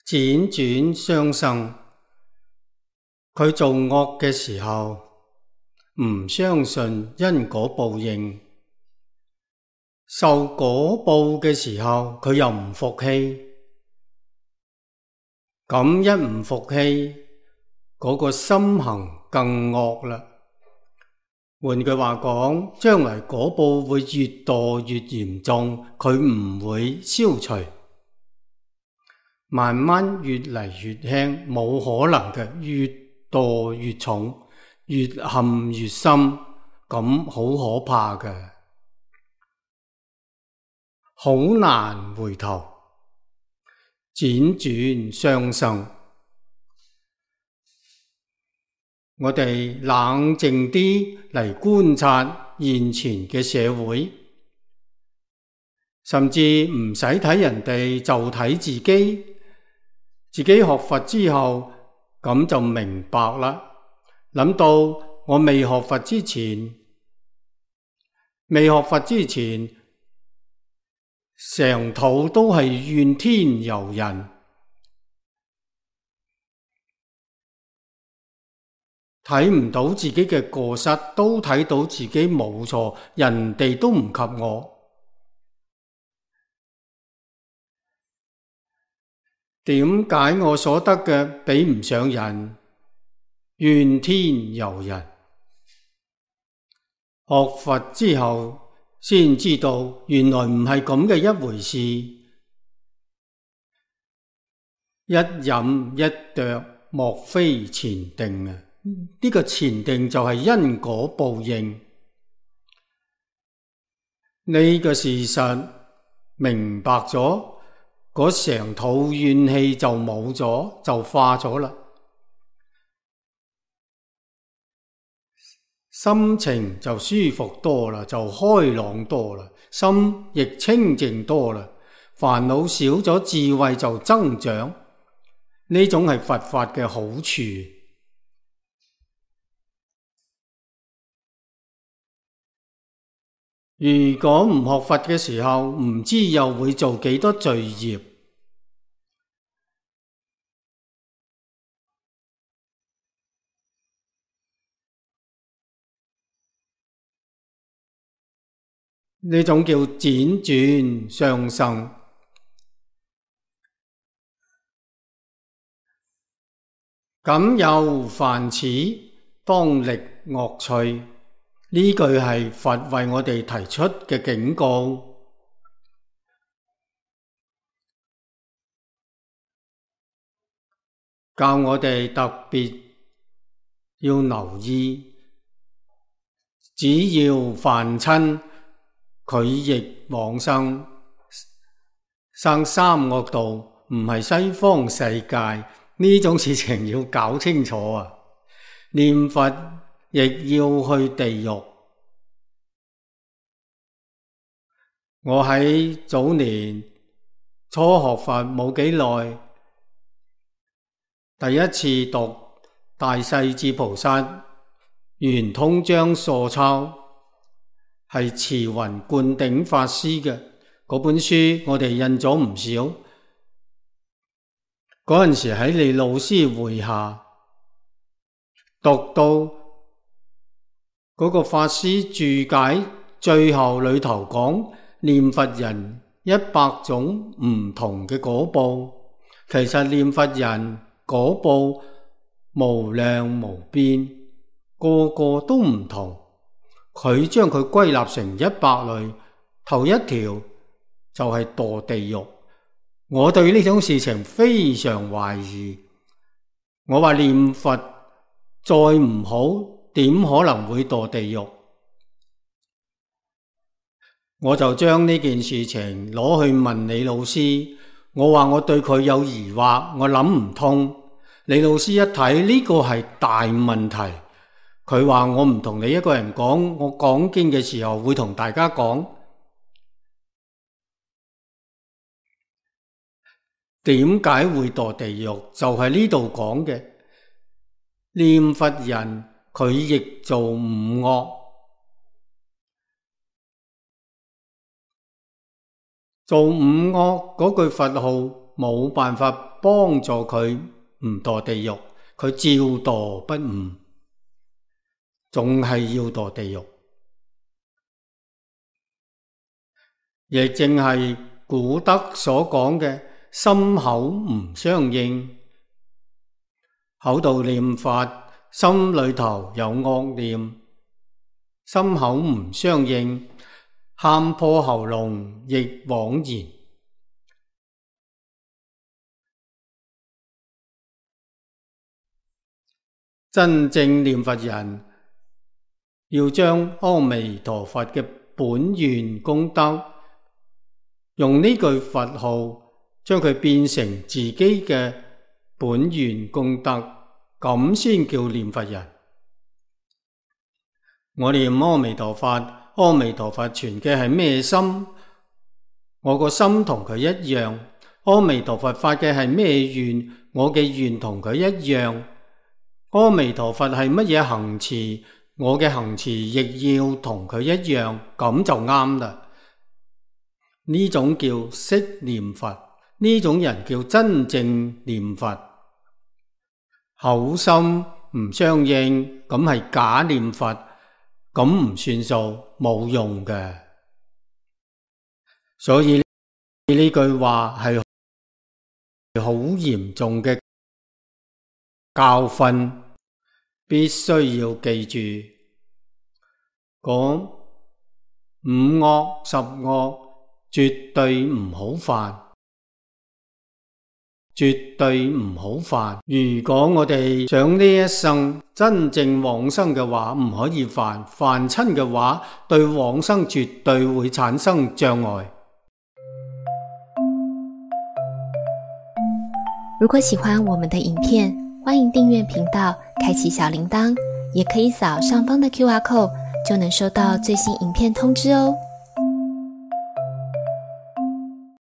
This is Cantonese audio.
輾轉相生，佢做惡嘅時候唔相信因果報應，受果報嘅時候佢又唔服氣，咁一唔服氣，嗰個心行更惡啦。換句話講，將來果報會越墮越嚴重，佢唔會消除，慢慢越嚟越輕，冇可能嘅，越墮越重，越陷越深，咁好可怕嘅，好難回頭，輾轉相生。我哋冷靜啲嚟觀察現前嘅社會，甚至唔使睇人哋，就睇自己。自己學佛之後，咁就明白啦。諗到我未學佛之前，成肚都係怨天尤人，睇唔到自己嘅過失，都睇到自己冇錯，人哋都唔及我。點解我所得嘅比唔上人？怨天尤人。學佛之後先知道，原來唔係咁嘅一回事。一飲一啄，莫非前定啊！呢個前定就係因果報應。呢個事實明白咗，嗰成肚怨氣就冇咗，就化咗啦。心情就舒服多啦，就開朗多啦，心亦清淨多啦，煩惱少咗，智慧就增長。呢種係佛法嘅好處。如果唔學佛嘅時候，唔知又會做幾多罪業。呢種叫輾轉相生。敢有犯此，當力惡趣。呢句係佛為我哋提出嘅警告，教我哋特別要留意，只要犯親，佢亦往生三惡道，唔係西方世界。呢種事情要搞清楚啊！念佛亦要去地獄。我喺早年初學佛冇幾耐，第一次讀大勢至菩薩圓通章疏鈔，係慈雲灌頂法師嘅嗰本書，我哋印咗唔少。嗰陣時喺李老師會下讀到嗰個法師注解，最後裏頭講念佛人100種唔同嘅果報，其實念佛人果報無量無邊，個個都唔同。佢將佢歸納成100類，頭一條就係墮地獄。我對呢種事情非常懷疑，我話念佛再唔好，點可能會墮地獄？我就將呢件事情攞去問李老師，我話我對佢有疑惑，我諗唔通。李老師一睇呢個係大問題，佢話我唔同你一個人講，我講經嘅時候會同大家講。點解會墮地獄？就係呢度講嘅，念佛人佢亦做五惡，做五惡嗰句佛號冇辦法幫助佢唔墮地獄，佢照墮不誤，仲係要墮地獄。亦正係古德所講嘅心口唔相應，口度念佛，心裏頭有惡念，心口唔相應，喊破喉嚨亦枉然。真正念佛人要將阿彌陀佛嘅本願功德，用呢句佛號將佢變成自己嘅本願功德，咁先叫念佛人。我念阿彌陀佛，阿彌陀佛存嘅係咩心？我個心同佢一樣。阿彌陀佛發嘅係咩願？我嘅願同佢一樣。阿彌陀佛係乜嘢行持？我嘅行持亦要同佢一樣，咁就啱啦。呢種叫識念佛，呢種人叫真正念佛。口心唔相應，咁係假念佛，咁唔算數，冇用嘅。所以呢句話係好嚴重嘅教訓，必須要記住。講五惡十惡絕對唔好犯，絕對唔好犯。如果我哋想呢一生真正往生嘅話，唔可以犯，犯親嘅話，對往生絕對會產生障礙。如果喜歡我們的影片，歡迎訂閱頻道，開啟小鈴鐺，也可以掃上方的QR code，就能收到最新影片通知哦。